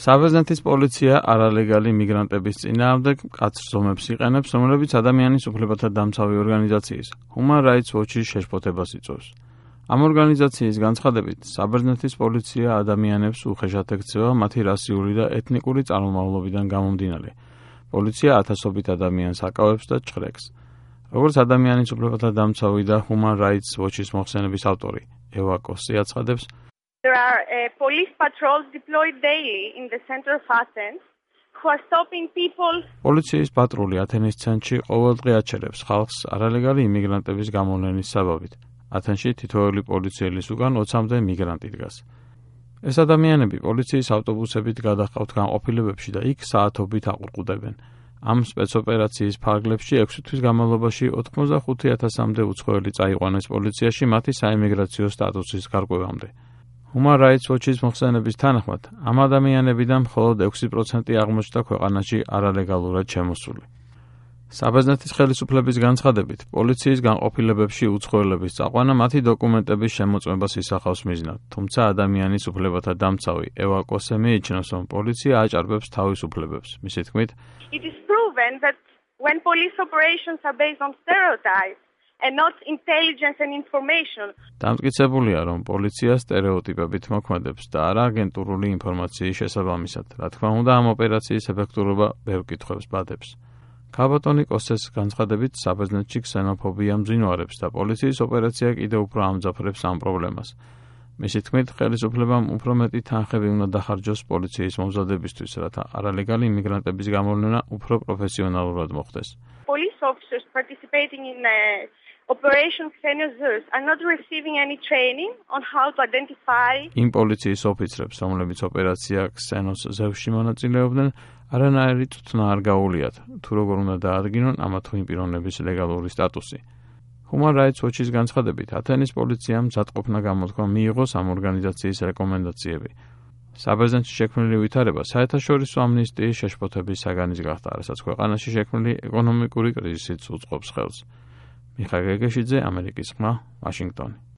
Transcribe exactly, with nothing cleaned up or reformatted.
საბერძნეთის პოლიცია არალეგალი მიგრანტების წინააღმდეგ მკაცრ ზომებს იყენებს, რომლებიც ადამიანის უფლებათა დამცავი ორგანიზაციის Human Rights Watch-ის შეშფოთებას იწვევს. ამ ორგანიზაციის განცხადებით, საბერძნეთის პოლიცია ადამიანებს უხეშად ექცევა მათი რასიული და ეთნიკური წარმომავლობიდან გამომდინარე. პოლიცია ათასობით ადამიანს აკავებს და ჭხრეკს. როგორც ადამიანის უფლებათა დამცავი და Human Rights Watch-ის მოხსენების ავტორი ევა კოსი აცხადებს, There are uh, police patrols deployed daily in the center of Athens who are stopping people. პოლიციის პატრული ათენის ცენტრში ყოველდღე აჩერებს ხალხს არალეგალი იმიგრანტების გამოვლენის საბაბით. ათენში თითოეული პოლიციელის უკან ოცამდე მიგრანტი დგას. ეს ადამიანები პოლიციის ავტობუსებით გადაჰყავთ განყოფილებებში და იქ საათობით აყურყუდებენ. ამ სპეცოპერაციის ფარგლებში ექვსი თვის განმავლობაში ოცდახუთი ათასამდე უცხოელი წაიყვანეს პოლიციაში მათი საიმიგრაციო სტატუსის გარკვევამდე. Human Rights Watch-ის მოხსენების თანახმად, ამ ადამიანებიდან მხოლოდ ექვსი პროცენტი აღმოჩნდა ქვეყანაში არალეგალურად შემოსული. საბერძნეთის ხელისუფლების განცხადებით, პოლიციის განყოფილებებში უცხოელების წაყვანა მათი დოკუმენტების შემოწმებას ისახავს მიზნად, თუმცა ადამიანის უფლებათა დამცავი ევა კოსე მიიჩნევს, რომ პოლიცია აჭარბებს თავის უფლებებს. მისი თქმით, It is proven that when police operations are based on stereotypes and not intelligence and information. დამტკიცებულია, რომ პოლიცია სტერეოტიპებით მოქმედებს და არა აგენტურული ინფორმაციის შესაბამისად. რა თქმა უნდა, ამ ოპერაციის ეფექტურობა ბევრ კითხვებს ბადებს. ქალბატონი კოსეს განცხადებით, საბერძნეთში ქსენოფობია მძინვარებს და პოლიციის ოპერაცია კიდევ უფრო ამძაფრებს ამ პრობლემას. მისი თქმით, ხელისუფლებამ უფრო მეტი თანხები უნდა დახარჯოს პოლიციის მომზადებისთვის, რათა არალეგალი იმიგრანტების გამოვლენა უფრო პროფესიონალურად მოხდეს. Police officers participating in uh, Operation Xenosaurus are not receiving any training on how to identify. იმ პოლიციის ოფიცრებს, რომლებიც ოპერაცია Xenos Zeus-ში მონაწილეობდნენ, არანაირი წუთნა არ გაუვლიათ, თუ როგორ უნდა დაადგინონ ამა თუ იმ პიროვნების ლეგალური სტატუსი. Human Rights Watch-ის განცხადებით, ათენის პოლიციამ მზადყოფნა გამოთქვა მიიღოს ამ ორგანიზაციის რეკომენდაციები. საბერძნეთში შექმნილი ვითარება საერთაშორისო ამნისტიის შეშფოთების საგანის გახდა, რასაც ქვეყანაში შექმნილი ეკონომიკური კრიზისიც უწყობს ხელს. მიხაილ გეგეშიძე, ამერიკის ხმა, ვაშინგტონი.